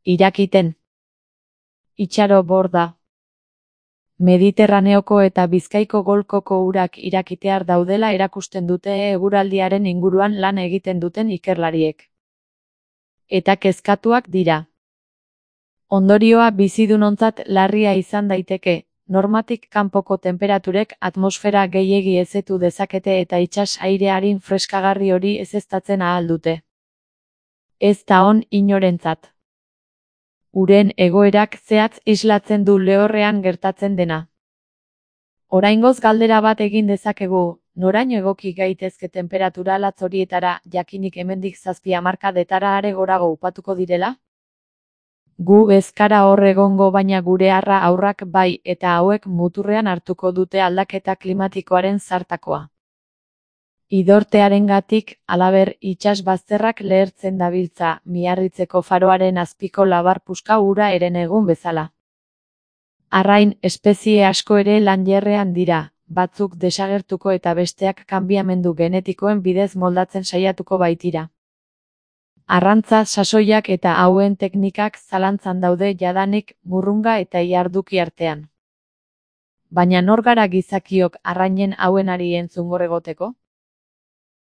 Irakiten. Itxaro borda. Mediterraneoko eta Bizkaiko golkoko urak irakitear daudela erakusten dute eguraldiaren inguruan lan egiten duten ikerlariek. Eta kezkatuak dira. Ondorioa bizidunontzat larria izan daiteke, normatik kanpoko tenperaturek atmosfera gehiegi hezetu dezakete eta itsas aire arin freskagarri hori ezeztatzen ahal dute. Ez da on inorentzat. Uren egoerak zehatz islatzen du lehorrean gertatzen dena. Oraingoz galdera bat egin dezakegu, noraino egoki gaitezke temperatura latz horietara, jakinik hemendik 7 hamarkadetara are gorago upatuko direla? Gu ez gara hor egongo baina gure aurrak bai, eta hauek muturrean hartuko dute aldaketa klimatikoaren zartakoa. Idortearengatik, halaber, itsas bazterrak lehertzen dabiltza, Miarritzeko faroaren azpiko labar puska ura eren egun bezala. Arrain, espezie asko ere lanjerrean dira, batzuk desagertuko eta besteak kanbiamendu genetikoen bidez moldatzen saiatuko baitira. Arrantza sasoiak eta hauen teknikak zalantzan daude jadanik murrunga eta iharduki artean. Baina nor gara gizakiok arrainen hauenari entzungor egoteko?